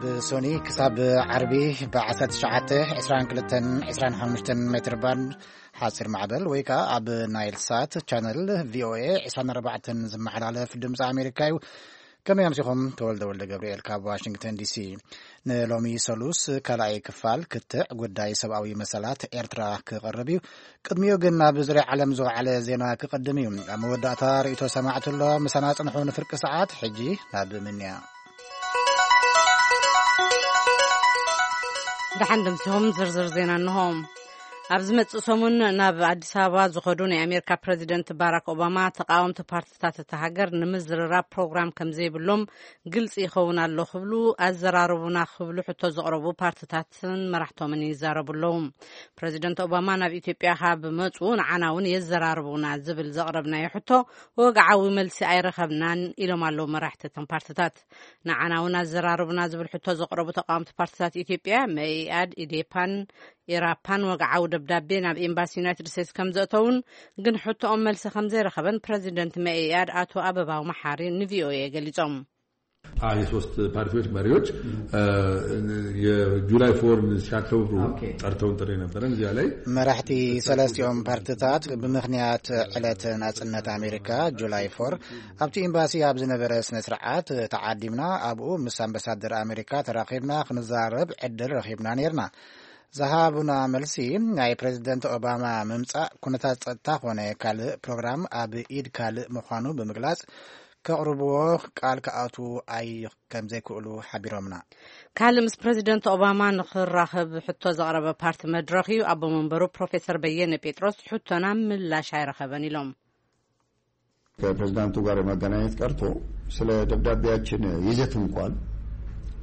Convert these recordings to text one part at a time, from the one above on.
ብሶኒ ክሳብ ዓርቢ ብ1922-25 ሜትር ባንድ ሓፂር ማዕበል ወይ ከዓ ኣብ ናይል ሳት ቻነል ቪኦኤ 24 ዝመሓላለፍ ድምፂ ኣሜሪካ እዩ። ከመይ ኣምሲኹም? ተወልደ ወልደ ገብርኤል ካብ ዋሽንግተን ዲሲ። ንሎሚ ሰሉስ ካልኣይ ክፋል ክትዕ ጉዳይ ሰብኣዊ መሰላት ኤርትራ ክቐርብ እዩ። ቅድሚኡ ግን ናብ ዙርያ ዓለም ዝወዓለ ዜና ክቐድም እዩ። ኣብ መወዳእታ ርእይቶ ሰማዕቲ ኣሎ። ምሳና ጽንሑ ንፍርቂ ሰዓት። ሕጂ ናብ ምንያ። ደሓን ደምሲሆም ዝርዝር ዜና እንሆ። ኣብ ዝመጽእ ሰሙን ናብ ኣዲስ ኣበባ ዝኸዱ ናይ ኣሜሪካ ፕረዚደንት ባራክ ኦባማ ተቃወምቲ ፓርቲታት እታ ሃገር ንምዝርራብ ፕሮግራም ከም ዘይብሎም ግልጺ ይኸውን ኣሎ ክብሉ ኣዘራርቡና ክብሉ ሕቶ ዘቕረቡ ፓርቲታትን መራሕቶምን ይዛረቡ ኣለዉ። ፕረዚደንት ኦባማ ናብ ኢትዮጵያ ካብ መጹ ንዓና እውን የዘራርቡና ዝብል ዘቕረብናዮ ሕቶ ወግዓዊ መልሲ ኣይረኸብናን ኢሎም ኣለዉ መራሕቲ እተን ፓርቲታት። ንዓና እውን ኣዘራርቡና ዝብል ሕቶ ዘቕረቡ ተቃወምቲ ፓርቲታት ኢትዮጵያ መኢኣድ፣ ኢዴፓን ኢራፓን ወግዓዊ ደብዳቤ ናብ ኤምባሲ ዩናይትድ ስቴትስ ከም ዘእተውን ግን ሕቶኦም መልሲ ከም ዘይረኸበን ፕረዚደንት መኢኣድ ኣቶ ኣበባው መሓሪ ንቪኦኤ ገሊጾም። የሶስት ፓርቲዎች መሪዎች የጁላይ ፎርን ሲያከብሩ ጠርተውን ጥሪ ነበረን። እዚያ ላይ መራሕቲ ሰለስቲኦም ፓርቲታት ብምኽንያት ዕለት ናጽነት ኣሜሪካ ጁላይ ፎር ኣብቲ ኤምባሲ ኣብ ዝነበረ ስነ ስርዓት ተዓዲምና፣ ኣብኡ ምስ ኣምባሳደር ኣሜሪካ ተራኺብና ክንዛረብ ዕድል ረኺብና ነይርና። ዝሃቡና መልሲ ናይ ፕረዚደንት ኦባማ ምምጻእ ኩነታት ጸጥታ ኮነ ካልእ ፕሮግራም ኣብ ኢድ ካልእ ምዃኑ ብምግላጽ ከቕርብዎ ቃል ክኣትዉ ኣይ ከም ዘይክእሉ ሓቢሮምና። ካልእ ምስ ፕረዚደንት ኦባማ ንኽራኸብ ሕቶ ዘቕረበ ፓርቲ መድረኽ እዩ። ኣቦ መንበሩ ፕሮፌሰር በየነ ጴጥሮስ ሕቶና ምላሽ ኣይረኸበን ኢሎም። ከፕሬዚዳንቱ ጋር የመገናኘት ቀርቶ ስለ ደብዳቤያችን ይዘት እንኳን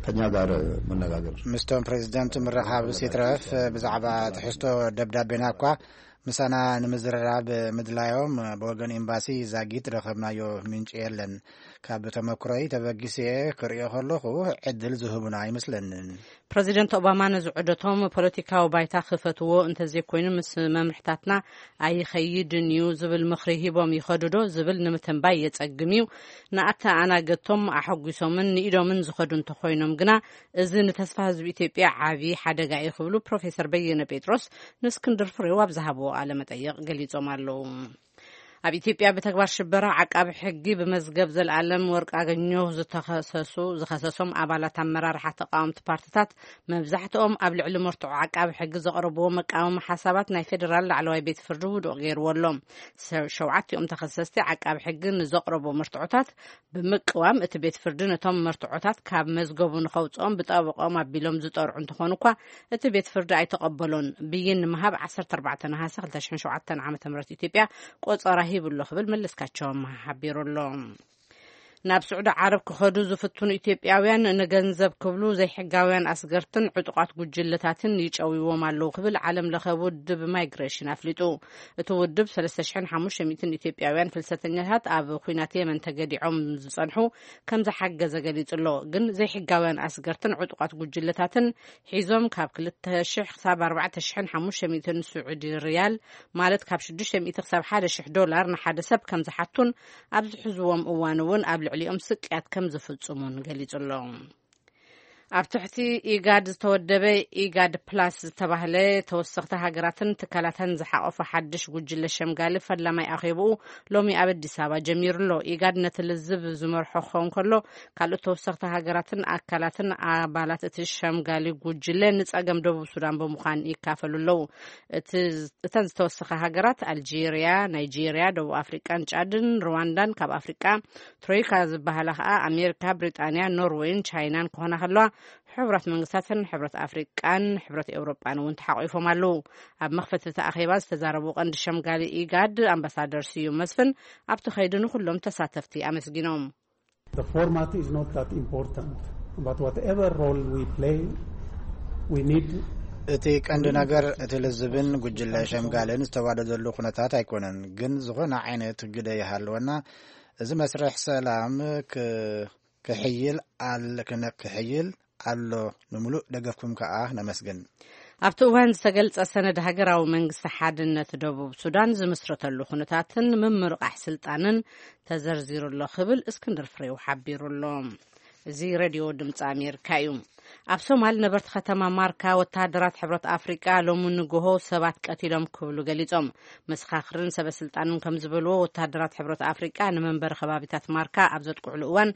ከኛ ጋር መነጋገር ምስቶም ፕሬዚደንት ምርኻብ ሲትረፍ ብዛዕባ ትሕዝቶ ደብዳቤና እኳ ምሳና ንምዝርራብ ምድላዮም ብወገን ኤምባሲ ዛጊት ረኸብናዮ ምንጭ የለን። ካብ ተመክሮይ ተበጊሰ ክርእዮ ከለኹ ዕድል ዝህቡና ኣይመስለንን። ፕረዚደንት ኦባማ ነዚ ዑደቶም ፖለቲካዊ ባይታ ክፈትዎ እንተዘይኮይኑ ምስ መምርሕታትና ኣይኸይድን እዩ ዝብል ምኽሪ ሂቦም ይኸዱ ዶ ዝብል ንምትንባይ የጸግም እዩ። ንኣተኣናገድቶም ኣሐጒሶምን ንኢዶምን ዝኸዱ እንተኾይኖም ግና እዚ ንተስፋ ህዝቢ ኢትዮጵያ ዓቢ ሓደጋ እዩ ክብሉ ፕሮፌሰር በየነ ጴጥሮስ ንእስክንድር ፍሬው ኣብ ዝሃብዎ ቃለ መጠይቕ ገሊጾም ኣለዉ። ኣብ ኢትዮጵያ ብተግባር ሽበራ ዓቃቢ ሕጊ ብመዝገብ ዘልኣለም ወርቅ ኣገኘሁ ዝተኸሰሱ ዝኸሰሶም ኣባላት ኣመራርሓ ተቃወምቲ ፓርቲታት መብዛሕትኦም ኣብ ልዕሊ መርትዖ ዓቃቢ ሕጊ ዘቕረብዎ መቃወሚ ሓሳባት ናይ ፌዴራል ላዕለዋይ ቤት ፍርዲ ውዱቕ ገይርዎ ኣሎ። ሸውዓቲኦም ተኸሰስቲ ዓቃቢ ሕጊ ንዘቕረቦ መርትዖታት ብምቅዋም እቲ ቤት ፍርዲ ነቶም መርትዖታት ካብ መዝገቡ ንኸውፅኦም ብጠበቆም ኣቢሎም ዝጠርዑ እንተኾኑ እኳ እቲ ቤት ፍርዲ ኣይተቐበሎን። ብይን ንምሃብ 14 ነሃሰ 2007 ዓ.ም ኢትዮጵያ ቆጸራ ሂቡ ኣሎ ክብል መለስካቸውም ሓቢሩ ኣሎ። ናብ ስዑዲ ዓረብ ክኸዱ ዝፍትኑ ኢትዮጵያውያን ንገንዘብ ክብሉ ዘይሕጋውያን ኣስገርትን ዕጡቓት ጉጅለታትን ይጨውይዎም ኣለዉ ክብል ዓለም ለኸ ውድብ ማይግሬሽን ኣፍሊጡ። እቲ ውድብ 3,500 ኢትዮጵያውያን ፍልሰተኛታት ኣብ ኲናት የመን ተገዲዖም ዝጸንሑ ከም ዝሓገዘ ገሊጹ ኣሎ። ግን ዘይሕጋውያን ኣስገርትን ዕጡቓት ጉጅለታትን ሒዞም ካብ 2,000 ክሳብ 4,500 ስዑዲ ሪያል ማለት ካብ 600 ክሳብ 1,000 ዶላር ንሓደ ሰብ ከም ዝሓቱን ኣብ ዝሕዝዎም እዋን እውን ኣብ ልዕሊኦም ስቅያት ከም ዝፍጽሙን ገሊጹ ኣሎ። ኣብ ትሕቲ ኢጋድ ዝተወደበ ኢጋድ ፕላስ ዝተባህለ ተወሰኽቲ ሃገራትን ትካላትን ዝሓቆፈ ሓድሽ ጉጅለ ሸምጋሊ ፈላማይ ኣኼብኡ ሎሚ ኣብ ኣዲስ ኣበባ ጀሚሩ ኣሎ። ኢጋድ ነቲ ልዝብ ዝመርሖ ክኸውን ከሎ ካልኦት ተወሰኽቲ ሃገራትን ኣካላትን ኣባላት እቲ ሸምጋሊ ጉጅለ ንጸገም ደቡብ ሱዳን ብምዃን ይካፈሉ ኣለዉ። እተን ዝተወሰኻ ሃገራት ኣልጄርያ፣ ናይጄርያ፣ ደቡብ ኣፍሪቃን ጫድን፣ ሩዋንዳን፣ ካብ ኣፍሪቃ ትሮይካ ዝበሃላ ከኣ ኣሜሪካ፣ ብሪጣንያ፣ ኖርወይን ቻይናን ክኾና ከለዋ፣ ሕቡራት መንግስታትን ሕብረት ኣፍሪቃን ሕብረት ኤውሮጳን እውን ተሓቂፎም ኣለዉ። ኣብ መኽፈቲ እቲ ኣኼባ ዝተዛረቡ ቀንዲ ሸምጋሊ ኢጋድ ኣምባሳደር ስዩም መስፍን ኣብቲ ከይዲ ንኹሎም ተሳተፍቲ ኣመስጊኖም። The format is not that important, but whatever role we play, we need እቲ ቀንዲ ነገር እቲ ልዝብን ጉጅለ ሸምጋልን ዝተዋደደሉ ኩነታት ኣይኮነን። ግን ዝኾነ ዓይነት ግደ ይሃለወና እዚ መስርሕ ሰላም ክሕይል ኣሎ። ንምሉእ ደገፍኩም ከኣ ነመስግን። ኣብቲ እዋን ዝተገልጸ ሰነድ ሃገራዊ መንግስቲ ሓድነት ደቡብ ሱዳን ዝምስረተሉ ኩነታትን ምምርቓሕ ስልጣንን ተዘርዚሩ ኣሎ ክብል እስክንድር ፍሬው ሓቢሩ ኣሎ። እዚ ሬድዮ ድምፂ ኣሜሪካ እዩ። ኣብ ሶማል ነበርቲ ከተማ ማርካ ወተሃደራት ሕብረት ኣፍሪቃ ሎሚ ንግሆ ሰባት ቀቲሎም ክብሉ ገሊጾም። መሰኻኽርን ሰበ ስልጣንን ከም ዝበልዎ፣ ወተሃደራት ሕብረት ኣፍሪቃ ንመንበሪ ከባቢታት ማርካ ኣብ ዘጥቅዕሉ እዋን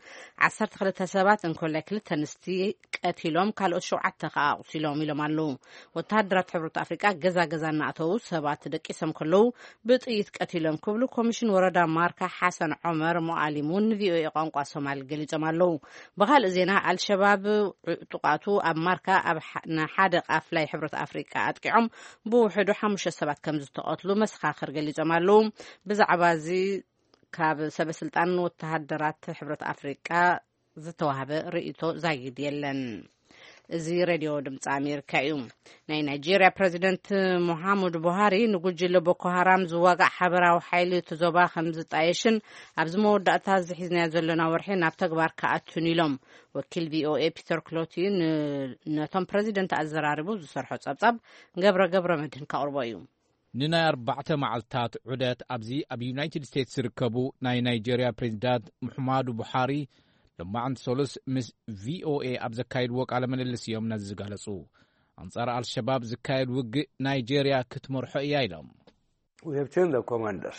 ዓሰርተ ክልተ ሰባት እንኮላይ ክልተ ኣንስቲ ቀቲሎም፣ ካልኦት ሸውዓተ ከኣ ኣቑሲሎም ኢሎም ኣለዉ። ወተሃደራት ሕብረት ኣፍሪቃ ገዛ ገዛ እናኣተዉ ሰባት ደቂሶም ከለዉ ብጥይት ቀቲሎም ክብሉ ኮሚሽን ወረዳ ማርካ ሓሰን ዖመር ሞኣሊም እውን ንቪኦኤ ቋንቋ ሶማሊ ገሊጾም ኣለዉ። ብኻልእ ዜና፣ ኣልሸባብ ዕጡቓቱ ኣብ ማርካ ኣብ ሓ-፣ ንሓደ ቃፍላይ ሕብረት ኣፍሪቃ ኣጥቂዖም ብውሕዱ ሓሙሽተ ሰባት ከም ዝተቐትሉ መሰኻኽር ገሊጾም ኣለዉ። ብዛዕባ እዚ ካብ ሰበ ስልጣን ወተሃደራት ሕብረት ኣፍሪቃ ዝተዋህበ ርእይቶ ዛጊድ የለን። እዚ ሬድዮ ድምፂ ኣሜሪካ እዩ። ናይ ናይጄርያ ፕሬዚደንት ሙሓሙድ ቡሃሪ ንጉጅለ ቦኮ ሃራም ዝዋጋእ ሓበራዊ ሓይሊ እቲ ዞባ ከም ዝጣየሽን ኣብዚ መወዳእታ እዚ ሒዝናዮ ዘለና ወርሒ ናብ ተግባር ክኣቱን ኢሎም። ወኪል ቪኦኤ ፒተር ክሎቲ ን-፣ ነቶም ፕሬዚደንት ኣዘራሪቡ ዝሰርሖ ጸብጻብ ገብረ ገብረ መድህን ከቕርቦ እዩ። ንናይ ኣርባዕተ መዓልታት ዑደት ኣብዚ ኣብ ዩናይትድ ስቴትስ ዝርከቡ ናይ ናይጄርያ ፕሬዚዳንት ሙሐማዱ ቡሓሪ ሎማዕንቲ ሰሉስ ምስ ቪኦኤ ኣብ ዘካየድዎ ቃለ ምልልስ እዮም ነዚ ዝገለጹ። ኣንጻር ኣልሸባብ ዝካየድ ውግእ ናይጄርያ ክትመርሖ እያ ኢሎም። We have changed the commanders.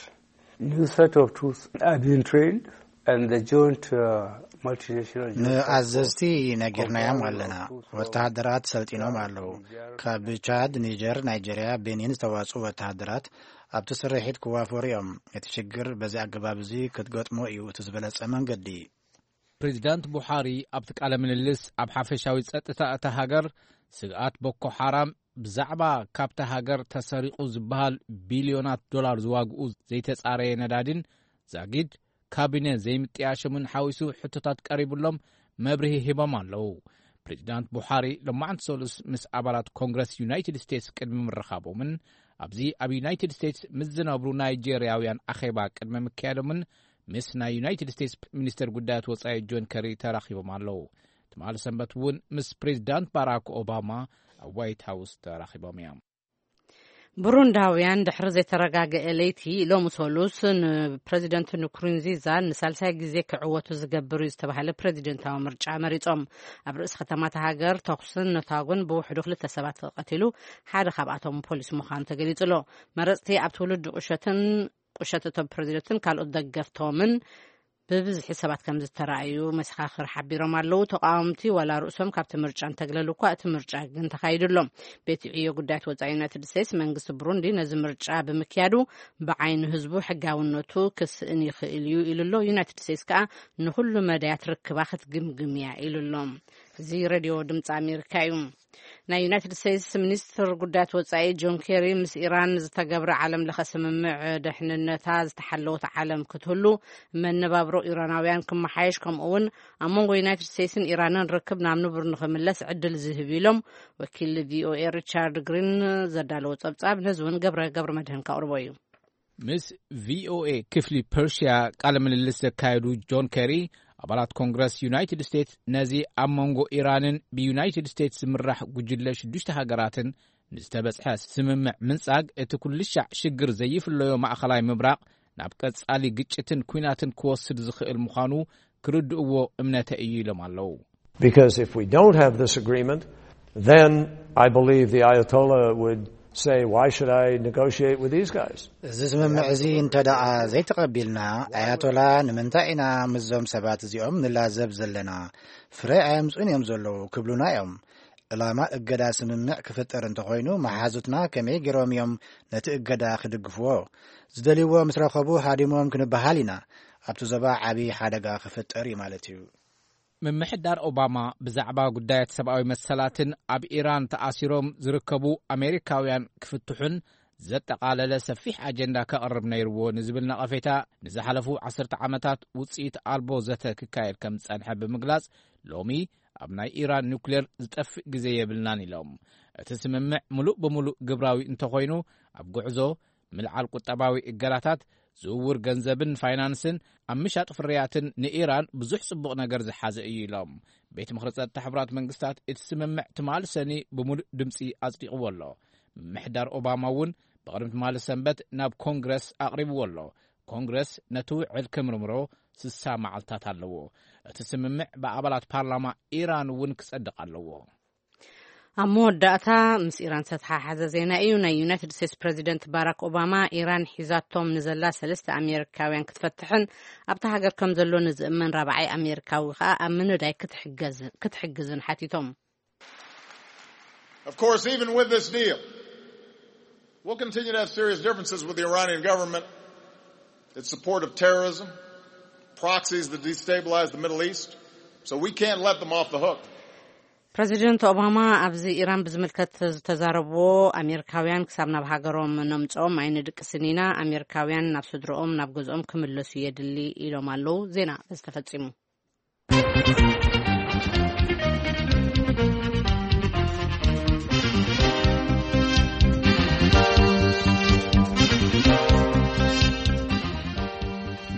New set of troops have been trained and the joint, uh, multinational joint task ንኣዘዝቲ force ነጊርናዮም ኣለና። ወተሃደራት ሰልጢኖም ኣለዉ። ካብ ቻድ፣ ኒጀር፣ ናይጄርያ፣ ቤኒን ዝተዋጽኡ ወተሃደራት ኣብቲ ስርሒት ክዋፈሩ እዮም። እቲ ሽግር በዚ ኣገባብ እዚ ክትገጥሞ እዩ እቲ ዝበለጸ መንገዲ። ፕሬዚዳንት ቡሓሪ ኣብቲ ቃለ ምልልስ ኣብ ሓፈሻዊ ጸጥታ እታ ሃገር ስግኣት ቦኮ ሓራም ብዛዕባ ካብታ ሃገር ተሰሪቑ ዝበሃል ቢልዮናት ዶላር ዝዋግኡ ዘይተጻረየ ነዳዲን ዛጊድ ካቢነ ዘይምጥያሾምን ሓዊሱ ሕቶታት ቀሪቡሎም መብርሂ ሂቦም ኣለዉ። ፕሬዚዳንት ቡሓሪ ሎማዕንቲ ሰሉስ ምስ ኣባላት ኮንግረስ ዩናይትድ ስቴትስ ቅድሚ ምርኻቦምን ኣብዚ ኣብ ዩናይትድ ስቴትስ ምስ ዝነብሩ ናይጄርያውያን ኣኼባ ቅድሚ ምክያዶምን ምስ ናይ ዩናይትድ ስቴትስ ሚኒስተር ጉዳያት ወጻኢ ጆን ከሪ ተራኺቦም ኣለዉ። ትማሊ ሰንበት እውን ምስ ፕሬዚዳንት ባራክ ኦባማ ኣብ ዋይት ሃውስ ተራኺቦም እዮም። ብሩንዳውያን ድሕሪ ዘይተረጋገአ ለይቲ ሎሚ ሰሉስ ንፕሬዚደንት ንኩሩንዚዛ ንሳልሳይ ግዜ ክዕወቱ ዝገብር እዩ ዝተባሃለ ፕሬዚደንታዊ ምርጫ መሪጾም። ኣብ ርእሲ ከተማታ ሃገር ተኹስን ነታጉን ብውሕዱ ክልተ ሰባት ተቐቲሉ፣ ሓደ ካብኣቶም ፖሊስ ምዃኑ ተገሊጹ ኣሎ። መረጽቲ ኣብ ትውልዲ ቁሸትን ቁሸት እቶም ፕሬዚደንትን ካልኦት ደገፍቶምን ብብዝሒ ሰባት ከም ዝተረኣዩ መሰኻኽር ሓቢሮም ኣለዉ። ተቃወምቲ ዋላ ርእሶም ካብቲ ምርጫ እንተግለሉ እኳ፣ እቲ ምርጫ ግን ተኻይዱ ኣሎ። ቤት ዕዮ ጉዳያት ወጻኢ ዩናይትድ ስቴትስ መንግስቲ ብሩንዲ ነዚ ምርጫ ብምክያዱ ብዓይኒ ህዝቡ ሕጋውነቱ ክስእን ይኽእል እዩ ኢሉ ኣሎ። ዩናይትድ ስቴትስ ከኣ ንኹሉ መዳያት ርክባ ክትግምግም እያ ኢሉ ኣሎ። እዚ ሬድዮ ድምፂ ኣሜሪካ እዩ። ናይ ዩናይትድ ስቴትስ ሚኒስትር ጉዳያት ወጻኢ ጆን ኬሪ ምስ ኢራን ዝተገብረ ዓለም ለኸ ስምምዕ ድሕንነታ ዝተሓለወት ዓለም ክትህሉ መነባብሮ ኢራናውያን ክመሓየሽ ከምኡ እውን ኣብ መንጎ ዩናይትድ ስቴትስን ኢራንን ርክብ ናብ ንቡር ንኽምለስ ዕድል ዝህብ ኢሎም ወኪል ቪኦኤ ሪቻርድ ግሪን ዘዳለዎ ጸብጻብ ነዚ እውን ገብረ ገብረ መድህን ከቕርቦ እዩ። ምስ ቪኦኤ ክፍሊ ፐርሽያ ቃለ ምልልስ ዘካየዱ ጆን ኬሪ ኣባላት ኮንግረስ ዩናይትድ ስቴትስ ነዚ ኣብ መንጎ ኢራንን ብዩናይትድ ስቴትስ ዝምራሕ ጉጅለ ሽዱሽተ ሃገራትን ንዝተበጽሐ ስምምዕ ምንጻግ እቲ ኩልሻዕ ሽግር ዘይፍለዮ ማእኸላይ ምብራቕ ናብ ቀጻሊ ግጭትን ኲናትን ክወስድ ዝኽእል ምዃኑ ክርድእዎ እምነተ እዩ ኢሎም ኣለዉ። Because if we don't have this agreement, then I believe the Ayatollah would say, "Why should I negotiate with these guys?" እዚ ስምምዕ እዚ እንተ ደኣ ዘይተቐቢልና፣ ኣያቶላ ንምንታይ ኢና ምስዞም ሰባት እዚኦም ንላዘብ ዘለና? ፍረ ኣየምጽኡን እዮም ዘለዉ ክብሉና እዮም። ዕላማ እገዳ ስምምዕ ክፍጠር እንተኾይኑ፣ መሓዙትና ከመይ ገይሮም እዮም ነቲ እገዳ ክድግፍዎ? ዝደልይዎ ምስ ረኸቡ ሃዲሞም ክንበሃል ኢና። ኣብቲ ዞባ ዓቢ ሓደጋ ክፍጠር እዩ ማለት እዩ። ምምሕዳር ኦባማ ብዛዕባ ጉዳያት ሰብኣዊ መሰላትን ኣብ ኢራን ተኣሲሮም ዝርከቡ ኣሜሪካውያን ክፍትሑን ዘጠቓለለ ሰፊሕ ኣጀንዳ ከቕርብ ነይርዎ ንዝብል ነቐፌታ ንዝሓለፉ ዓሰርተ ዓመታት ውጽኢት ኣልቦ ዘተ ክካየድ ከም ዝጸንሐ ብምግላጽ፣ ሎሚ ኣብ ናይ ኢራን ኑክሌር ዝጠፍእ ግዜ የብልናን ኢሎም። እቲ ስምምዕ ምሉእ ብምሉእ ግብራዊ እንተኾይኑ፣ ኣብ ጉዕዞ ምልዓል ቁጠባዊ እገዳታት፣ ዝውውር ገንዘብን ፋይናንስን፣ ኣብ ምሻጥ ፍርያትን ንኢራን ብዙሕ ጽቡቕ ነገር ዝሓዘ እዩ ኢሎም። ቤት ምኽሪ ጸጥታ ሕቡራት መንግስታት እቲ ስምምዕ ትማሊ ሰኒ ብምሉእ ድምጺ ኣጽዲቕዎ ኣሎ። ምምሕዳር ኦባማ እውን ብቕድሚ ትማሊ ሰንበት ናብ ኮንግረስ ኣቕሪብዎ ኣሎ። ኮንግረስ ነቲ ውዕል ክምርምሮ ስሳ መዓልታት ኣለዎ። እቲ ስምምዕ ብኣባላት ፓርላማ ኢራን እውን ክጸድቕ ኣለዎ። ኣብ መወዳእታ፣ ምስ ኢራን ዝተተሓሓዘ ዜና እዩ። ናይ ዩናይትድ ስቴትስ ፕሬዚደንት ባራክ ኦባማ፣ ኢራን ሒዛቶም ንዘላ ሰለስተ ኣሜሪካውያን ክትፈትሕን ኣብታ ሃገር ከም ዘሎ ንዝእመን ራብዓይ ኣሜሪካዊ ከኣ ኣብ ምንዳይ ክትሕገዝ- ክትሕግዝን ሓቲቶም። Of course, even with this deal, we'll continue to have serious differences with the Iranian government. It's support of terrorism, proxies that destabilize the Middle East. So we can't let them off the hook. ፕረዚደንት ኦባማ ኣብዚ ኢራን ብዝምልከት ዝተዛረብዎ፣ ኣሜሪካውያን ክሳብ ናብ ሃገሮም ነምጽኦም ኣይንድቅስን ኢና፣ ኣሜሪካውያን ናብ ስድርኦም ናብ ገዝኦም ክምለሱ የድሊ ኢሎም ኣለዉ። ዜና በዚ ተፈጺሙ።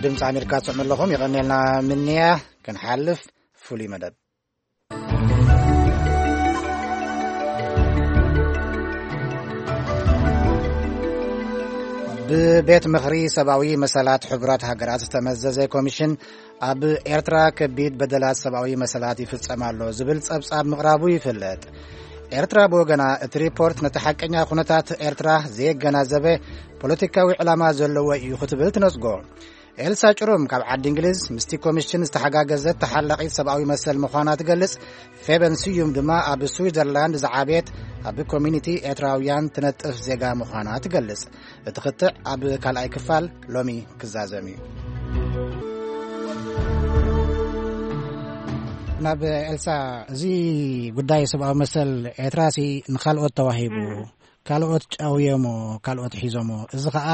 ድምፂ ኣሜሪካ ትሰምዑ ኣለኹም። የቐንየልና ምንያ። ክንሓልፍ ፍሉይ መደብ። ብቤት ምኽሪ ሰብኣዊ መሰላት ሕቡራት ሃገራት ዝተመዘዘ ኮሚሽን ኣብ ኤርትራ ከቢድ በደላት ሰብኣዊ መሰላት ይፍጸም ኣሎ ዝብል ጸብጻብ ምቕራቡ ይፍለጥ። ኤርትራ ብወገና እቲ ሪፖርት ነቲ ሓቀኛ ኩነታት ኤርትራ ዘየገናዘበ ፖለቲካዊ ዕላማ ዘለዎ እዩ ክትብል ትነጽጎ። ኤልሳ ጭሩም ካብ ዓዲ እንግሊዝ ምስቲ ኮሚሽን ዝተሓጋገዘት ተሓላቒት ሰብኣዊ መሰል ምዃና ትገልጽ። ፌበን ስዩም ድማ ኣብ ስዊዘርላንድ ዝዓበየት ኣብ ኮሚኒቲ ኤርትራውያን ትነጥፍ ዜጋ ምዃና ትገልጽ። እቲ ክትዕ ኣብ ካልኣይ ክፋል ሎሚ ክዛዘም እዩ። ናብ ኤልሳ፣ እዚ ጉዳይ ሰብኣዊ መሰል ኤርትራሲ ንኻልኦት ተዋሂቡ፣ ካልኦት ጫውዮሞ፣ ካልኦት ሒዞሞ። እዚ ኸኣ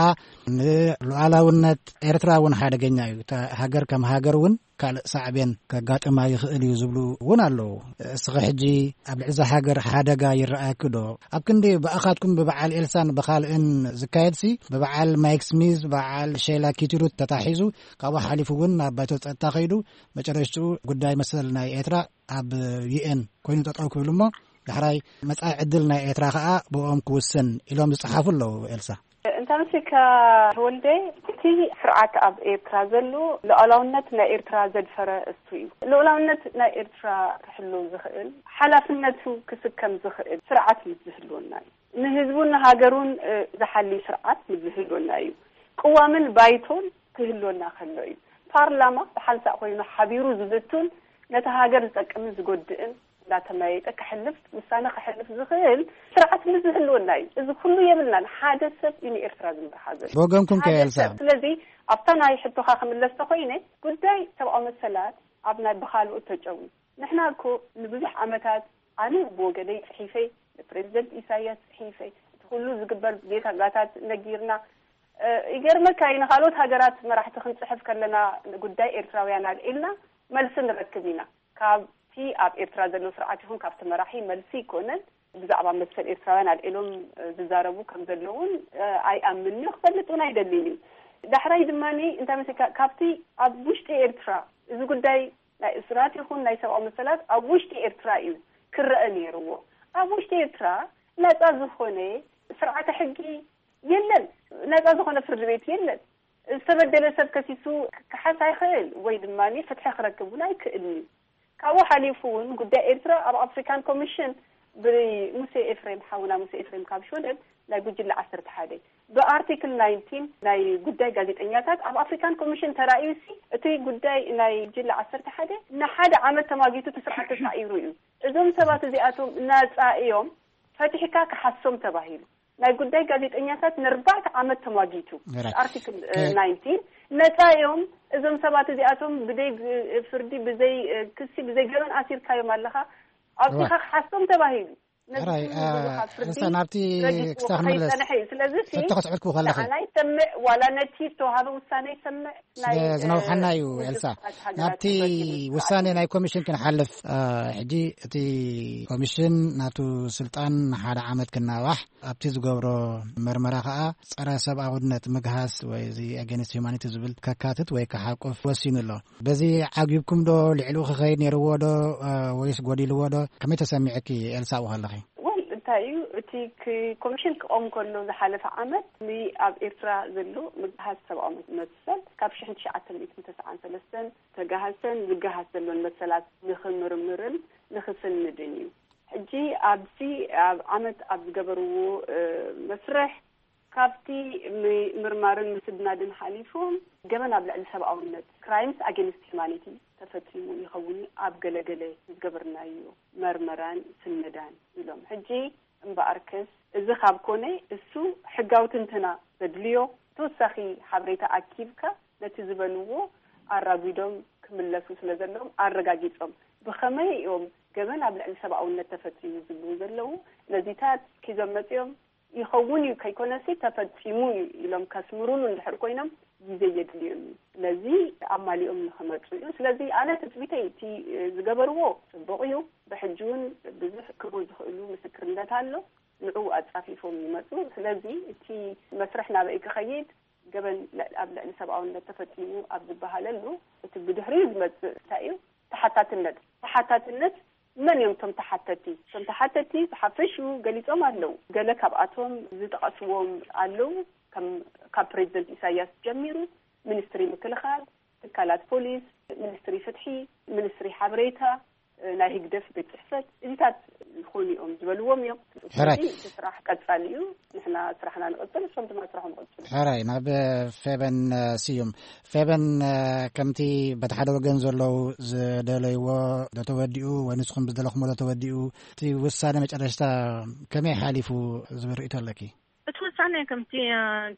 ንሉዓላውነት ኤርትራ እውን ሓደገኛ እዩ። እታ ሃገር ከም ሃገር እውን ካልእ ሳዕቤን ከጋጥማ ይኽእል እዩ ዝብሉ እውን ኣለዉ። እስኺ ሕጂ ኣብ ልዕሊ እዛ ሃገር ሓደጋ ይረኣየኪ ዶ? ኣብ ክንዲ ብኣኻትኩም ብበዓል ኤልሳን ብኻልእን ዝካየድሲ፣ ብበዓል ማይክ ስሚዝ፣ በዓል ሼላ ኪቲሩት ተታሒዙ፣ ካብኡ ሓሊፉ እውን ናብ ባይቶ ጸጥታ ከይዱ፣ መጨረሽትኡ ጉዳይ መሰል ናይ ኤርትራ ኣብ ዩ ኤን ኮይኑ ጠጠው ክብል እሞ፣ ዳሕራይ መጻኢ ዕድል ናይ ኤርትራ ኸኣ ብኦም ክውስን ኢሎም ዝጸሓፉ ኣለዉ። ኤልሳ። እንተ ኣምሲልካ ተወልደ፣ እቲ ስርዓት ኣብ ኤርትራ ዘሎ ሉዓላውነት ናይ ኤርትራ ዘድፈረ እሱ እዩ። ሉዓላውነት ናይ ኤርትራ ክሕሉ ዝኽእል፣ ሓላፍነቱ ክስከም ዝኽእል ስርዓት ምስ ዝህልወና እዩ። ንህዝቡን ንሃገሩን ዝሓሊ ስርዓት ምስ ዝህልወና እዩ። ቅዋምን ባይቶን ክህልወና ከሎ እዩ። ፓርላማ ብሓንሳእ ኮይኑ ሓቢሩ ዝዝቱን ነቲ ሃገር ዝጠቅምን ዝጎድእን እንዳተመያየጠ ክሕልፍ፣ ውሳነ ክሕልፍ ዝኽእል ስርዓት ምስ ዝህልወና እዩ። እዚ ኩሉ የብልናን። ሓደ ሰብ እዩ ንኤርትራ ዝመርሓ ዘሎ። ብወገንኩም ከ ሓደ ኤልሳ? ሰብ። ስለዚ ኣብታ ናይ ሕቶኻ ክምለስ ተኾይነ፣ ጉዳይ ሰብኣዊ መሰላት ኣብ ናይ ብኻልኦት ተጨዊ። ንሕና እኮ ንብዙሕ ዓመታት ኣነ ብወገነይ ጽሒፈ፣ ንፕሬዚደንት ኢሳያስ ጽሒፈ፣ እቲ ኩሉ ዝግበር ጌታጋታት ነጊርና። እ፣ ይገርመካ እዩ፣ ንኻልኦት ሃገራት መራሕቲ ክንጽሕፍ ከለና ንጉዳይ ኤርትራውያን ኣልዒልና መልሲ ንረክብ ኢና። ካብቲ ኣብ ኤርትራ ዘሎ ስርዓት ይኹን ካብቲ መራሒ መልሲ ኣይኮነን። ብዛዕባ መሰል ኤርትራውያን ኣልዒሎም፣ እ፣ ዝዛረቡ ከም ዘለውን፣ እ፣ ኣይኣምንን እዩ፣ ክፈልጥ እውን ኣይደልን እዩ። ዳሕራይ ድማ እንታይ መሲልካ፣ ካብቲ ኣብ ውሽጢ ኤርትራ እዚ ጉዳይ ናይ እስራት ይኹን ናይ ሰብኣዊ መሰላት ኣብ ውሽጢ ኤርትራ እዩ ክረአ ነይርዎ። ኣብ ውሽጢ ኤርትራ ነጻ ዝኾነ ስርዓተ ሕጊ የለን። ነጻ ዝኾነ ፍርዲ ቤት የለን። ዝተበደለ ሰብ ከሲሱ ክከሓስ ኣይኽእል ወይ ድማ ፍትሒ ክረክብ እውን ኣይክእልን እዩ። ካብኡ ሓሊፉ እውን ጉዳይ ኤርትራ ኣብ ኣፍሪካን ኮሚሽን ብሙሴ ኤፍሬም፣ ሓውና ሙሴ ኤፍሬም ካብ ሽወደን ናይ ጉጅለ ዓሰርተ ሓደ ብኣርቲክል ናይንቲን ናይ ጉዳይ ጋዜጠኛታት ኣብ ኣፍሪካን ኮሚሽን ተራእዩሲ እቲ ጉዳይ ናይ ጉጅለ ዓሰርተ ሓደ ንሓደ ዓመት ተማጊቱ እቲ ስርዓት ተሳዒሩ እዩ። እዞም ሰባት እዚኣቶም ናጻ እዮም፣ ፈቲሕካ ክሓሶም ተባሂሉ። ናይ ጉዳይ ጋዜጠኛታት ንኣርባዕተ ዓመት ተማጊቱ። ኣርቲክል ናይንቲን ነጻ እዮም እዞም ሰባት እዚኣቶም፣ ብዘይ ፍርዲ፣ ብዘይ ክሲ፣ ብዘይ ገበን ኣሲርካዮም ኣለኻ፣ ኣብዚኻ ክሓሶም ተባሂሉ። ነዚ ራይ ኩሉ ብዙኻ ፍርዲ እንሳ ናብቲ ረጊጽዎ ክስታ ክሳይ ክንምለስ ጸንሐ እዩ። ስለዚ ሲ ሕቶ ከስዕልኩ ከለኺ ንዓና ይሰምዕ ዋላ ነቲ ዝተዋሃበ ውሳነ ይሰምዕ፣ ናይ፣ ስለ ዝነውሓና እዩ። ውድብ ኤልሳ፣ ሕቡራት ሃገራት ናብቲ ረጊጽ ውሳኔ ስርዓት እዩ። ናይ ኮሚሽን ክንሓልፍ፣ እ፣ ሕጂ እቲ ኮሚሽን ናቱ ስልጣን ንሓደ ዓመት ክናዋሕ፣ ኣብቲ ዝገብሮ መርመራ ከኣ ጸረ ሰብኣውነት፣ ምግሃስ ወይ እዚ ኣጌንስት ሂዩማኒቲ ዝብል ከካትት ወይ ክሓቁፍ ወሲኑ ኣሎ። በዚ ዓጊብኩም ዶ? ልዕሊኡ ክኸይድ ነይርዎ ዶ? እ፣ ወይስ ጎዲልዎ ዶ? ከመይ ተሰሚዕኪ ኤልሳ ኣብኡ ከለኺ? ወል፣ እንታይ እዩ እቲ ክ- ኮሚሽን ክቆም ከሎ ዝሓለፈ ዓመት ን- ኣብ ኤርትራ ዘሎ ምግሃስ ሰብኣዊ መሰል ካብ ሽሕን ትሽዓተ ሚእትን ተስዓን ሰለስተን ተጋሃሰን ዝጋሃስ ዘሎን መሰላት ንኽምርምርን ንኽስንድን እዩ። ሕጂ ኣብዚ ኣብ ዓመት ኣብ ዝገበርዎ እ፣ መስርሕ ካብቲ ም- ምርማርን ምስድናድን ሓሊፎም ገበን ኣብ ልዕሊ ሰብኣውነት፣ crimes against humanity፣ ተፈጺሙ ይኸውን ኣብ ገለገለ ዝገበርናዮ መርመራን ስነዳን ኢሎም። ሕጂ እምበኣርከስ እዚ ካብ ኮነ እሱ ሕጋዊ ትንተና ዘድልዮ ተወሳኺ ሓበሬታ ኣኪብካ ነቲ ዝበልዎ ኣራጒዶም ክምለሱ ስለ ዘለዎም ኣረጋጊጾም ብኸመይ እዮም ገበን ኣብ ልዕሊ ሰብኣውነት ተፈጺሙ ዝብሉ ዘለዉ ነዚታት ኪዞም መጺኦም ይኸውን እዩ ከይኮነሲ ተፈጺሙ እዩ ኢሎም ከስምሩሉ እንድሕር ኮይኖም ግዜ የድልዮም እዩ። ስለዚ ኣማሊኦም ንኽመጹ እዩ። ስለዚ ኣነ ትጽቢተይ እቲ ዝገበርዎ ጽቡቕ እዩ። ብሕጂ እውን ብዙሕ ክህቡ ዝኽእሉ ምስክርነት ኣሎ። ንዕኡ ኣጻፊፎም ይመጹ። ስለዚ እቲ መስርሕ ናበይ ክኸይድ ገበን ልዕ- ኣብ ልዕሊ ሰብኣውነት ተፈጺሙ ኣብ ዝበሃለሉ እቲ ብድሕሪኡ ዝመጽእ እንታይ እዩ? ተሓታትነት። ተሓታትነት መን እዮም እቶም ተሓተቲ? እቶም ተሓተቲ ብሓፈሽኡ ገሊጾም ኣለዉ። ገለ ካብኣቶም ዝጠቐስዎም ኣለዉ። ከም ካብ ፕሬዚደንት ኢሳያስ ጀሚሩ ሚኒስትሪ ምክልኻል፣ ትካላት ፖሊስ፣ ሚኒስትሪ ፍትሒ፣ ሚኒስትሪ ሓበሬታ፣ ናይ ህግደፍ ቤት ጽሕፈት እዚታት ዝኾኑ እዮም ዝበልዎም እዮም። ሕራይ። ስለዚ እቲ ስራሕ ቀጻሊ እዩ። ንሕና ስራሕና ንቐጽል፣ እሶም ድማ ስራሖም ይቐጽሉ። ሕራይ፣ ናብ ፌበን ስዩም። ፌበን፣ ከምቲ በቲ ሓደ ወገን ዘለዉ ዝደለይዎ ዶ ተወዲኡ ወይ ንስኹም ዝደለኹሞ ዶ ተወዲኡ፣ እቲ ውሳነ መጨረሽታ ከመይ ሓሊፉ ዝብል ርእይቶ ኣለኪ? እቲ ውሳነ ከምቲ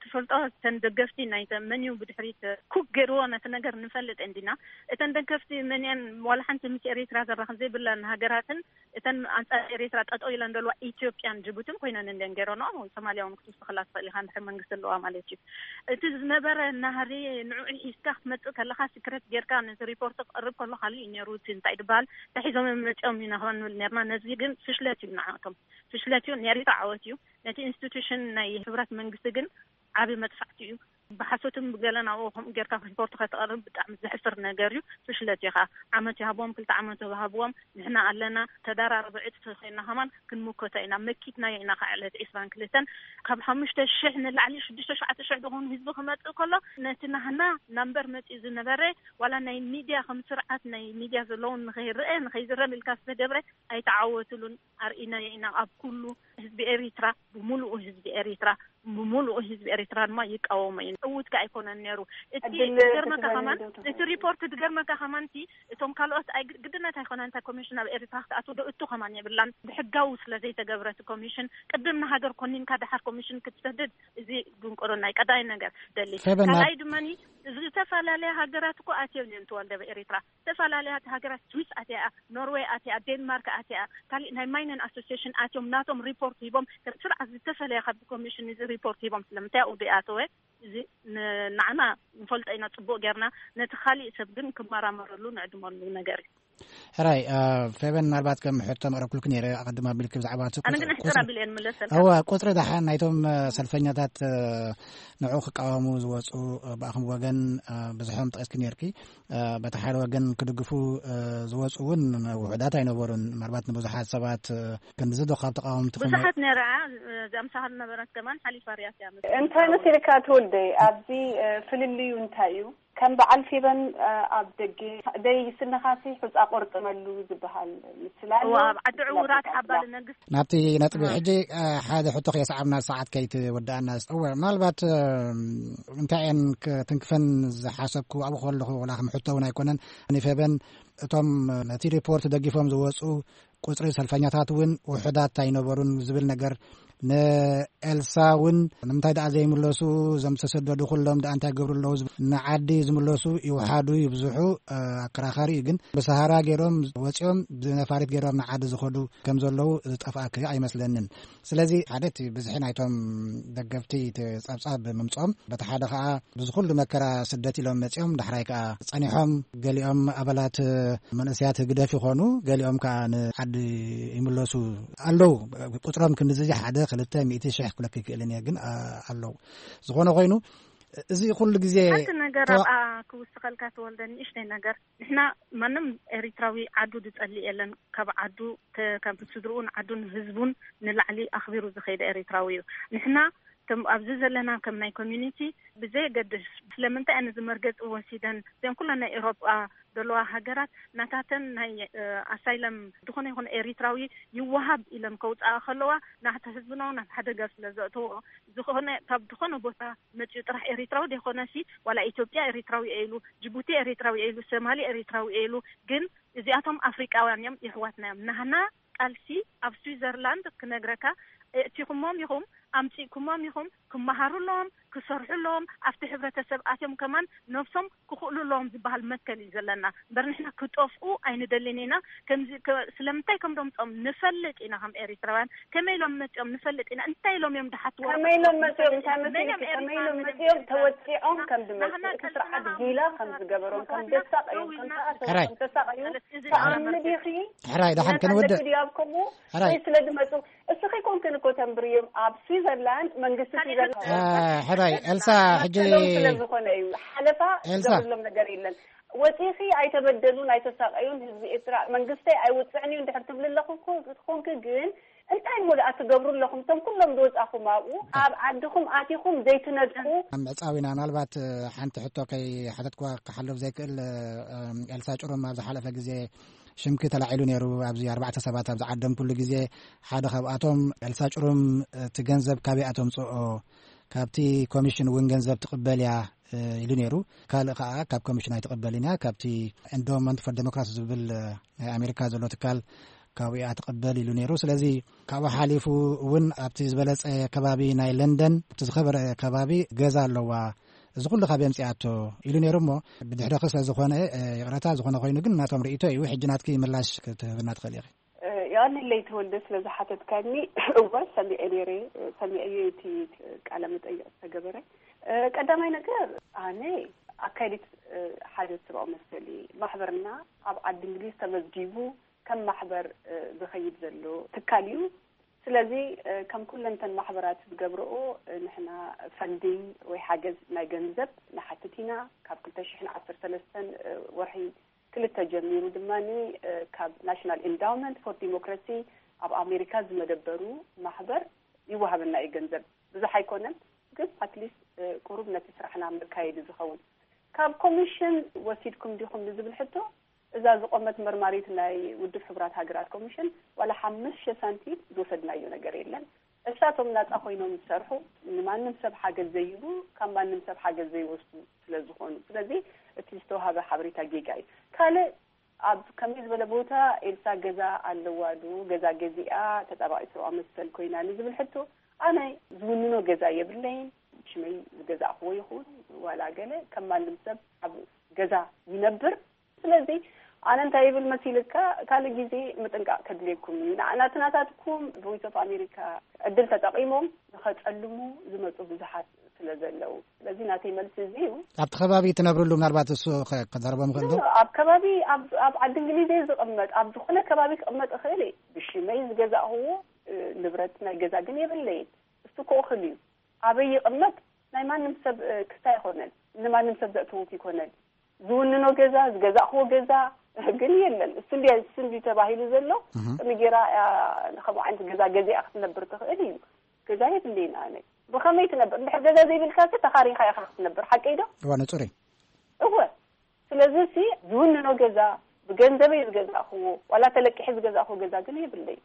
ትፈልጦ እተን ደገፍቲ ናይ መን እዩ ብድሕሪት ኩክ ገይርዎ ነቲ ነገር ንፈልጥ እንዲና። እተን ደገፍቲ መን እየን? ዋላ ሓንቲ ምስ ኤሪትራ ዘራኽብ ዘይብለን ሃገራትን እተን ኣንጻር ኤሪትራ ጠጠው ኢለን ዘለዋ ኢትዮጵያን ጅቡትን ኮይነን እንዲን ገይረንኦ። ሶማልያ እውን ክትውስኸላ ትኽእል ኢኻ እንድሕር መንግስቲ ኣለዋ ማለት እዩ። እቲ ዝነበረ ናህሪ ንዕኡ ሒዝካ ክትመጽእ ከለኻ ሲክሬት ጌርካ ነቲ ሪፖርት ክቕርብ ከሎ ካልእ እዩ ነይሩ። እቲ እንታይ ድበሃል ተሒዞም እዮም መጺኦም ኢና ክባ ንብል ነርና። ነዚ ግን ፍሽለት እዩ ንዓቶም ፍሽለት እዩ። ንኤሪትራ ዓወት እዩ። ነቲ ኢንስቲቱሽን ናይ ህብረት መንግስቲ ግን ዓቢ መጥፋዕቲ እዩ። ብሓሶትን ብገለ ናብኡ ከምኡ ጌርካ ሪፖርት ከተቕርብ ብጣዕሚ ዘሕፍር ነገር እዩ። ፍሽለት እዩ ከዓ ዓመት ይሃብዎም ክልተ ዓመት ይሃብዎም። ንሕና ኣለና ተዳራረበ ዕጥፊ ኮይና ከማን ክንምከቶ ኢና መኪትናዮ ኢና ከዓ ዕለት ዒስራን ክልተን ካብ ሓሙሽተ ሽሕ ንላዕሊ ሽዱሽተ ሸውዓተ ሽሕ ዝኾኑ ህዝቢ ክመፅእ ከሎ ነቲ ናህና ናምበር መፂኡ ዝነበረ ዋላ ናይ ሚድያ ከም ስርዓት ናይ ሚድያ ዘለውን ንኸይረአ ንኸይዝረብ ኢልካ ዝተገብረ ኣይተዓወትሉን። ኣርኢናዮ ኢና ኣብ ኩሉ ህዝቢ ኤሪትራ ብምሉኡ ህዝቢ ኤሪትራ ብምሉኡ ህዝቢ ኤሪትራ ድማ ይቃወሞ እዩ። ዕውት ከ ኣይኮነን ነይሩ። እቲ ዕድል ድገርመካ ትበኒ ከማን ዶ ትኾን? እቲ ሪፖርት ድገርመካ ከማን እቲ እቶም ካልኦት ኣይ ግድነት ኣይኮነን። እንታይ ኮሚሽን ኣብ ኤሪትራ ክትኣትው ዶ እቱ ከማን የብላን። ብሕጋዊ ስለ ዘይተገብረ እቲ ኮሚሽን ቅድም ንሃገር ኮኒንካ ደሓር ኮሚሽን ክትሰድድ እዚ ድንቁርና እዩ። ቀዳይ ነገር ደሊ ፌበና ካልኣይ ድማኒ ዝተፈላለያ ሃገራት እኮ ኣትዮም እዮም ተዋልደ ኤሪትራ ዝተፈላለያ ሃገራት ስዊስ ኣትያ፣ ኖርዌይ ኣትያ፣ ዴንማርክ ኣትያ፣ ካሊእ ናይ ማይነን ኣሶሲሽን ኣትዮም ናቶም ሪፖርት ሂቦም ከም ስርዓት ዝተፈለየ ካብ ኮሚሽን እዚ ሪፖርት ሂቦም ስለምንታይ ኣብኡ ኣተወ እዚ ንዓና ንፈልጦ ኢና ጽቡቕ ጌርና ነቲ ካሊእ ሰብ ግን ክመራመረሉ ንዕድመሉ ነገር እዩ። ሕራይ ፌቨን ምናልባት ከም ሕቶ መቕረብኩልክ ነይረ ኣቐድማ ቢልክ ብዛዕባ እቲ ኣነ ግን ሕፅር ኣቢለ እየ ንምለሰልካ። እወ ቁፅሪ ደሓን ናይቶም ሰልፈኛታት ንዑ ክቃወሙ ዝወፁ ብኣኹም ወገን ብዙሖም ጠቂስክ ነርኪ። በቲ ሓደ ወገን ክድግፉ ዝወፁ እውን ውሑዳት ኣይነበሩን። ምናልባት ንብዙሓት ሰባት ክንዚ ዶ ካብ ተቃወምቲ ብዙሓት ነይራ እዚኣ ምሳኻ ዝነበረት ከማን ሓሊፋ ርያት እያ። እንታይ መሲልካ ትወልደይ ኣብዚ ፍልልዩ እንታይ እዩ? ከም በዓል ፌበን ኣብ ደገ ደይ ስንኻሲ ሑፃ ቆርጥመሉ ዝበሃል ምስላ ኣሎ። ኣብ ዓዲ ዕውራት ሓባል ነግስ ናብቲ ነጥቢ ሕጂ ሓደ ሕቶ ከየስዓብና ሰዓት ከይትወድኣና እወ ምናልባት እንታይ እየን ክትንክፈን ዝሓሰብኩ ኣብኡ ከለኹ ወላ ከም ሕቶ እውን ኣይኮነን። ንፌበን እቶም ነቲ ሪፖርት ደጊፎም ዝወፁ ቁፅሪ ሰልፈኛታት እውን ውሑዳት ኣይነበሩን ዝብል ነገር ንኤልሳ እውን ንምንታይ ደኣ ዘይምለሱ እዞም ዝተሰደዱ ኩሎም ደኣ እንታይ ገብሩ ኣለዉ ዝብል ንዓዲ ዝምለሱ ይውሓዱ ይብዝሑ ኣከራኻሪ እዩ። ግን ብሰሃራ ገይሮም ወፂኦም ብነፋሪት ገይሮም ንዓዲ ዝኸዱ ከም ዘለዉ ዝጠፍኣክ ኣይመስለንን። ስለዚ ሓደ እቲ ብዝሒ ናይቶም ደገፍቲ እቲ ፀብፃብ ምምፅኦም በቲ ሓደ ከዓ ብዚ ኩሉ መከራ ስደት ኢሎም መፂኦም ዳሕራይ ከዓ ፀኒሖም ገሊኦም ኣባላት መንእሰያት ህግደፍ ይኾኑ ገሊኦም ከዓ ንዓዲ ይምለሱ ኣለዉ። ቁፅሮም ክንዚ ሓደ ክልተ ሚእቲ ሽሕ ክብለክ ይክእልን እየ ግን ኣለዉ። ዝኾነ ኮይኑ እዚ ኩሉ ግዜ ሓንቲ ነገር ተዋ- ኣብኣ ክውስኸልካ ተወልደ፣ ንእሽተይ ነገር። ንሕና ማንም ኤሪትራዊ ዓዱ ዝጸልእ የለን። ካብ ዓዱ ተ- ካብ ስድርኡን ዓዱን ህዝቡን ንላዕሊ ኣኽቢሩ ዝኸይደ ኤሪትራዊ እዩ። ንሕና ከም ኣብዚ ዘለና ከም ናይ ኮሚኒቲ ብዘየገድስ ስለምንታይ ኣነ እዚ መርገጺ ወሲደን እዚኦም ኩለን ናይ ኤውሮጳ ዘለዋ ሃገራት ናታተን ናይ ኣሳይለም ዝኾነ ይኹን ኤሪትራዊ ይወሃብ ኢለን ከውፅኣ ከለዋ ናሕቲ ህዝብና ናብ ሓደጋ ስለ ዘእተዎ ዝኾነ ካብ ዝኾነ ቦታ መፅኡ ጥራሕ ኤሪትራዊ ዘይኮነሲ ዋላ ኢትዮጵያ ኤሪትራዊ ኢሉ ጅቡቲ ኤሪትራዊ ኢሉ ሶማሊ ኤሪትራዊ ኢሉ ግን እዚኣቶም ኣፍሪቃውያን እዮም የሕዋትና እዮም ናህና ቃልሲ ኣብ ስዊዘርላንድ ክነግረካ እእቲኹሞም ኢኹም ኣምፂእኩሞም ኢኹም ክመሃሩ ኣለዎም ክሰርሑ ኣለዎም ኣብቲ ሕብረተሰብ ኣትዮም ከማን ነብሶም ክኽእሉ ኣለዎም ዝበሃል መትከል እዩ ዘለና እምበር ንሕና ክጠፍኡ ኣይንደልን ኢና ከምዚ ከ- ስለምንታይ ከም ደምፆም ንፈልጥ ኢና ከም ኤሪትራውያን ከመይ ኢሎም መፂኦም ንፈልጥ ኢና እንታይ ኢሎም እዮም ድሓትዎ ከመይ ኢሎም መፂኦም እንታይ መሲልኪ ከመይ ኢሎም መፂኦም ተወፂዖም ከም ዝመፁ እቲ ስርዓት ጊላ ከም ዝገበሮም ከም ዘሳቀዮም ከም ተኣሰሩ ሕራይ። ከም ተሳቀዩ ተኣምኒ ዲኺ ሕራይ ደሓን ክንወድእ ኣለኪ ድዩ ኣብ ከምኡ ሕራይ ወይ ስለ ዝመፁ እስኺ ኮንክን እኮ ተንብርዮም ኣብ ስዊዘርላንድ መንግስቲ ስዊዘርላንድ አ፣ ሕራይ ኤልሳ ሕጂ መሰሎም ስለ ዝኾነ እዩ ሓለፋ ኤልሳ። ዝገብርሎም ነገር የለን ወፂኺ ኣይተበደሉን ኣይተሳቀዩን ህዝቢ ኤርትራ መንግስተይ ኣይውፅዕን እዩ እንድሕር ትብሊ ኣለኹ ኮንኪ ግን እንታይ እሞ ደኣ ትገብሩ ኣለኹም እቶም ኩሎም ዝወፃኹም ኣብኡ ኣብ ዓድኹም ኣቲኹም ዘይትነድቁ ኣብ ምዕፃው ኢና ምናልባት እ፣ ሓንቲ ሕቶ ከይሓተትኩዋ ክሓልፍ ዘይክእል እ፣ እ፣ ኤልሳ ጭሩም ኣብ ዝሓለፈ ግዜ ሽምኪ ተላዒሉ ነይሩ ኣብዚ ኣርባዕተ ሰባት ኣብ ዝዓደምኩሉ ግዜ ሓደ ካብኣቶም ኤልሳ ጭሩም እቲ ገንዘብ ካበይ ኣተምፅኦ ካብቲ ኮሚሽን እውን ገንዘብ ትቕበል እያ እ፣ ኢሉ ነይሩ ካልእ ከዓ ካብ ኮሚሽን ኣይትቕበልን እያ ካብቲ endowment for democracy ዝብል እ፣ ናይ ኣሜሪካ ዘሎ ትካል ካብኡ እያ ትቕበል ኢሉ ነይሩ ስለዚ ካብኡ ሓሊፉ እውን ኣብቲ ዝበለፀ ከባቢ ናይ ለንደን ኣብቲ ዝኸበረ ከባቢ ገዛ ኣለዋ እዚ ኩሉ ካብ የምፅኣቶ ኢሉ ነይሩ እሞ ብድሕረኺ ስለ ዝኾነ እ፣ ይቕረታ ዝኾነ ኮይኑ ግን ናቶም ርእቶ እዩ ሕጂ ናትኪ ምላሽ ክትህብና ትኽእል ኢኺ የቐንለይ ተወልደ ስለ ዝሓተትካኒ እወ ሰሚዐ ነይረ ሰሚዐዮ እቲ ቃለ መጠይቕ ዝተገበረ ቀዳማይ ነገር ኣነ ኣካይዲት ሓደ ስብኣዊ መሰሊ ማሕበርና ኣብ ዓዲ እንግሊዝ ተመዝጊቡ ከም ማሕበር ዝኸይድ ዘሎ ትካል እዩ ስለዚ ከም ኩለንተን ማሕበራት ዝገብረኦ ንሕና ፈንዲንግ ወይ ሓገዝ ናይ ገንዘብ ንሓትት ኢና ካብ ክልተ ሽሕን ዓሰርተ ሰለስተን ወርሒ ክልተ ጀሚሩ ድማ ካብ ናሽናል ኢንዳውመንት ፎር ዲሞክራሲ ኣብ ኣሜሪካ ዝመደበሩ ማሕበር ይወሃበና እዩ ገንዘብ ብዙሕ ኣይኮነን ግን ኣትሊስት ቁሩብ ነቲ ስራሕና መካየዲ ዝኸውን ካብ ኮሚሽን ወሲድኩም ዲኹም ንዝብል ሕቶ እዛ ዝቆመት መርማሪት ናይ ውድብ ሕቡራት ሃገራት ኮሚሽን ዋላ ሓሙሽተ ሳንቲም ዝወሰድናዮ ነገር የለን እሳቶም ናፃ ኮይኖም ዝሰርሑ ንማንም ሰብ ሓገዝ ዘይህቡ ካብ ማንም ሰብ ሓገዝ ዘይወስዱ ስለ ዝኾኑ ስለዚ እቲ ዝተዋሃበ ሓበሬታ ጌጋ እዩ ካልእ ኣብ ከመይ ዝበለ ቦታ ኤልሳ ገዛ ኣለዋ ዶ ገዛ ገዚኣ ተጣባቂ ሰብኣዊ መሰል ኮይና ንዝብል ሕቶ ኣነ ዝውንኖ ገዛ የብለይን ሽመይ ዝገዛእክዎ ይኹን ዋላ ገለ ከም ማንም ሰብ ኣብ ገዛ ይነብር ስለዚ ኣነ እንታይ ይብል መሲልካ ካልእ ግዜ ምጥንቃቕ ከድልየኩም እዩ ንዓና ትናታትኩም ቮይስ ኦፍ ኣሜሪካ ዕድል ተጠቒሞም ንኸፀልሙ ዝመፁ ብዙሓት ስለ ዘለዉ ስለዚ ናተይ መልሲ እዚ እዩ ኣብቲ ከባቢ ትነብርሉ ምናልባት እሱ ከዛረቦ ምኽእል ዶ ኣብ ከባቢ ኣብ ዓዲ እንግሊዝ እየ ዝቕመጥ ኣብ ዝኾነ ከባቢ ክቕመጥ እኽእል እየ ብሽመይ ዝገዛእኽዎ ንብረት ናይ ገዛ ግን የብለይን እሱ ክእኽል እዩ ኣበይ ይቕመጥ ናይ ማንም ሰብ ክስታ ኣይኮነን ንማንም ሰብ ዘእተውት ይኮነን ዝውንኖ ገዛ ዝገዛእኽዎ ገዛ ግን የለን እሱ እንዲ እሱ እንዲ ተባሂሉ ዘሎ ቅሚ ጌራ ከምኡ ዓይነት ገዛ ገዚኣ ክትነብር ትኽእል እዩ ገዛ የብለይን ኣነ ብኸመይ ትነብር እንድሕር ገዛ ዘይብልካ ሲ ተኻሪኻ ኢኻ ክትነብር ሓቀይ ዶ እዋ ንጹር እዩ እወ ስለዚ ሲ ዝውንኖ ገዛ ብገንዘበይ ዝገዛእኽዎ ዋላ ተለቂሐ ዝገዛእኽዎ ገዛ ግን የብለይን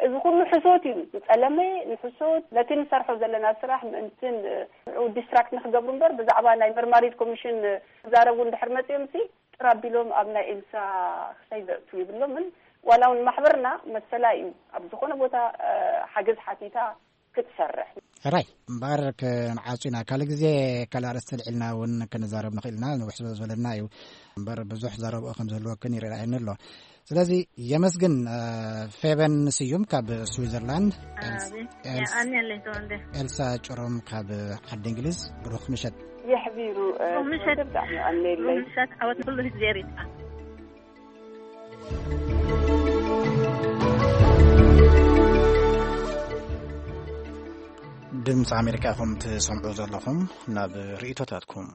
እዚ ኩሉ ሕሶት እዩ ዝፀለመ ንሕሶት ነቲ ንሰርሖ ዘለና ስራሕ ምእንትን ንዑ ዲስትራክት ንክገብሩ እምበር ብዛዕባ ናይ መርማሪት ኮሚሽን ክዛረቡ እንድሕር መፅኦም ሲ ጥር ኣቢሎም ኣብ ናይ ኤልሳ ክሳይ ዘእቱ ይብሎምን ዋላ እውን ማሕበርና መሰላ እዩ ኣብ ዝኾነ ቦታ ሓገዝ ሓቲታ ክትሰርሕ ሕራይ እምበኣር ክንዓጹ ኢና ካልእ ግዜ ካልእ ኣርእስቲ ልዕልና እውን ክንዛረብ ንኽእል ኢና ንውሕ ዝበለና እዩ እምበር ብዙሕ ዘረብኦ ከም ዝህልወክን ይረኣየኒ ኣሎ ስለዚ የመስግን ፌበን ስዩም ካብ ስዊዘርላንድ ኤልሳ ጭሮም ካብ ዓዲ እንግሊዝ ብሩኽ ምሸት የሕቢሩ ምሸት ብጣዕሚ ኣነለይ ምሸት ዓወት ንኩሉ ህዝቢ ኤሪትራ ድምፂ ኣሜሪካ ኢኹም ትሰምዑ ዘለኹም። ናብ ርእይቶታትኩም።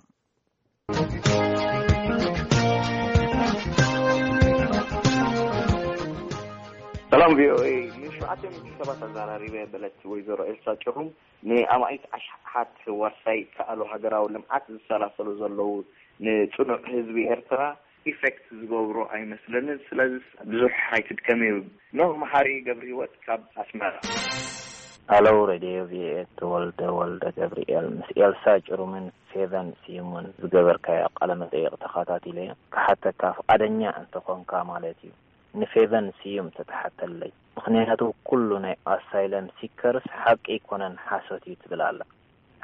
ሰላም ቪኦኤ። ንሸውዓተ ሚእቲ ሰባት ኣዘራሪበ በለት ወይዘሮ ኤልሳ ጭሩም፣ ንኣማኢት ኣሽሓት ዋርሳይ ከኣሉ ሃገራዊ ልምዓት ዝሰላሰሉ ዘለዉ ንጽኑዕ ህዝቢ ኤርትራ ኢፌክት ዝገብሩ ኣይመስለንን። ስለዚ ብዙሕ ኣይትድከም እዩ። ኖህ መሓሪ ገብረ ህይወት ካብ ኣስመራ። ኣለው ሬድዮ ቪኦኤ፣ ተወልደ ወልደ ገብርኤል። ምስ ኤልሳ ጭሩምን ፌቨን ስዩምን ዝገበርካዮ ቃለ መጠይቕ ተኸታቲለ። ክሓተካ ፍቓደኛ እንተኾንካ ማለት እዩ፣ ንፌቨን ስዩም ተተሓተለይ። ምኽንያቱ ኩሉ ናይ ኣሳይለም ሲከርስ ሓቂ ኣይኮነን፣ ሓሶት እዩ ትብል ኣላ።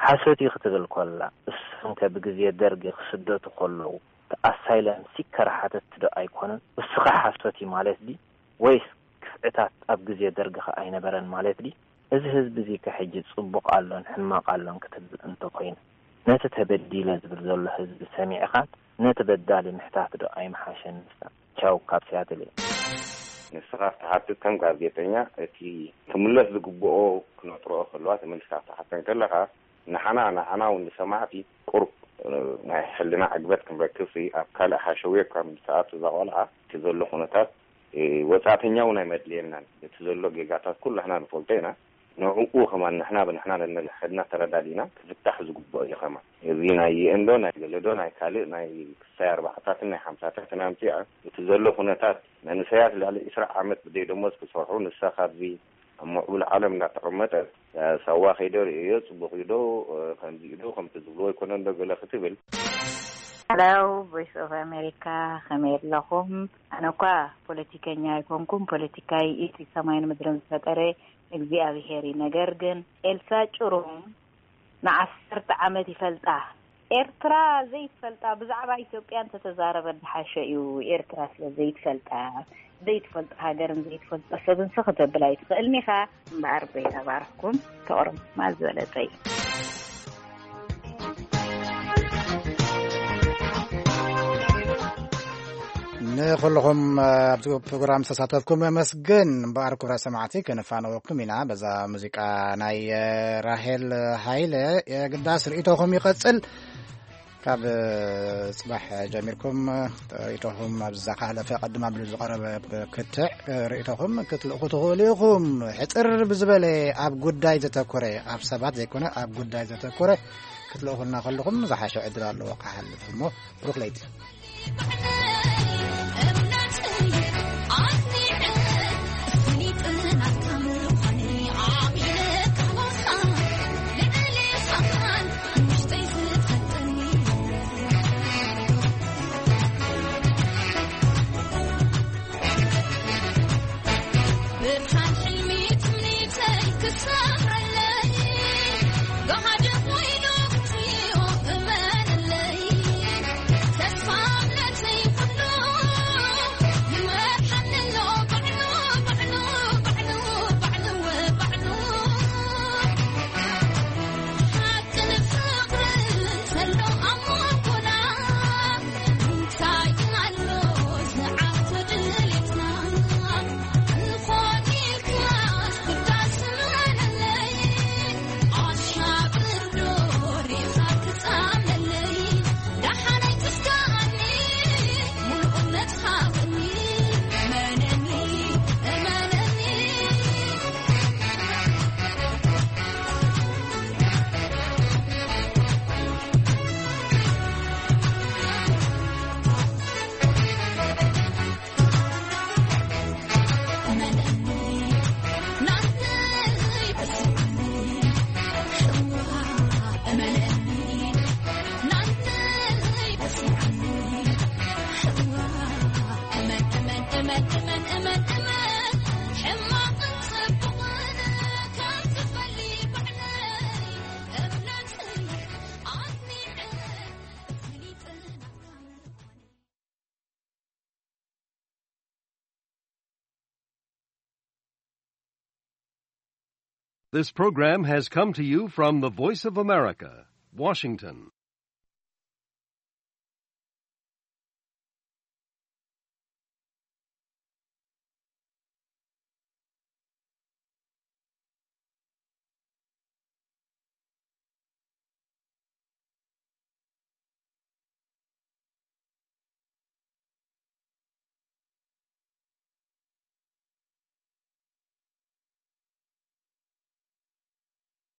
ሓሶት እዩ ክትብል ኮላ፣ እሶም ከ ብግዜ ደርጊ ክስደቱ ከለዉ እቲ ኣሳይለም ሲከር ሓተትቲ ዶ ኣይኮኑን? እሱ ኸ ሓሶት እዩ ማለት ድዩ? ወይስ ክፍዕታት ኣብ ግዜ ደርጊ ኸ ኣይነበረን ማለት ድዩ? እዚ ህዝቢ እዚ ከ ሕጂ ጽቡቕ ኣሎን ሕማቕ ኣሎን ክትብል እንተኾይኑ፣ ነቲ ተበዲለ ዝብል ዘሎ ህዝቢ ሰሚዕኻን ነቲ በዳሊ ምሕታት ዶ ኣይምሓሸን ንሳ? ቻው ካብ ሲያትል እየ። ንስኻ ክትሓትት ከም ጋዜጠኛ እቲ ክምለስ ዝግብኦ ክነጥርኦ ከለዋ ተመሊስካ ክትሓተን ከለኻ ንሓና ንዓና እውን ንሰማዕቲ ቁሩብ ናይ ሕልና ዕግበት ክንረክብ ሲ ኣብ ካልእ ሓሸውየ ካብ ምስተኣቱ እዛ ቆልዓ እቲ ዘሎ ኩነታት ወጻእተኛ እውን ኣይመድልየናን። እቲ ዘሎ ጌጋታት ኩላሕና ንፈልጦ ኢና። ንዕኡ ከማን ንሕና ብንሕና ነንሕድና ተረዳዲና ክፍታሕ ዝግብኦ እዩ። ከማን እዚ ናይ ዩኤን ዶ ናይ ገለ ዶ ናይ ካልእ ናይ ክሳይ ኣርባዕታትን ናይ ሓምሳታትን ኣምጺኣ እቲ ዘሎ ኩነታት መንእሰያት ልዕሊ ዕስራ ዓመት ብደይ ደሞዝ ክሰርሑ ንሳ ካብዚ ኣብ ምዕቡል ዓለም እንዳተቐመጠት ሳዋ ከይደ ርእዮ ጽቡቕ እዩ ዶ ከምዚ እዩ ዶ ከምቲ ዝብልዎ ኣይኮነን ዶ ገለ ክትብል Hello, Voice of America. ከመይ ኣለኹም? ኣነ እኳ ፖለቲከኛ ኣይኮንኩም። ፖለቲካይ እቲ ሰማይን ምድርን ዝፈጠረ እግዚኣብሄር እዩ። ነገር ግን ኤልሳ ጭሩም ንዓሰርተ ዓመት ይፈልጣ። ኤርትራ ዘይትፈልጣ ብዛዕባ ኢትዮጵያ እንተተዛረበ ዝሓሸ እዩ። ኤርትራ ስለ ዘይትፈልጣ፣ ዘይትፈልጦ ሃገርን ዘይትፈልጦ ሰብን ሲ ክተብል ኣይትኽእልን ኢኻ። እምበኣር በይታ ባርኽኩም፣ ተቕርም ማል ዝበለጸ እዩ። ንኹልኹም ኣብዚ ፕሮግራም ዝተሳተፍኩም የመስግን። እምበኣር ክቡራት ሰማዕቲ፣ ከነፋነወኩም ኢና በዛ ሙዚቃ ናይ ራሄል ሃይለ። የግዳስ ርእይቶኹም ይቐጽል። ካብ ጽባሕ ጀሚርኩም ርእይቶኹም ኣብዚ ዝሓለፈ ቀድም ኣቢሉ ዝቐረበ ክትዕ ርእይቶኹም ክትልእኹ ትኽእሉ ኢኹም። ሕጽር ብዝበለ ኣብ ጉዳይ ዘተኮረ፣ ኣብ ሰባት ዘይኮነ ኣብ ጉዳይ ዘተኮረ ክትልእኹልና ከለኹም ዝሓሸ ዕድል ኣለዎ ክሓልፍ። እሞ ብሩኽ ለይቲ። This program has come to you from the Voice of America, Washington.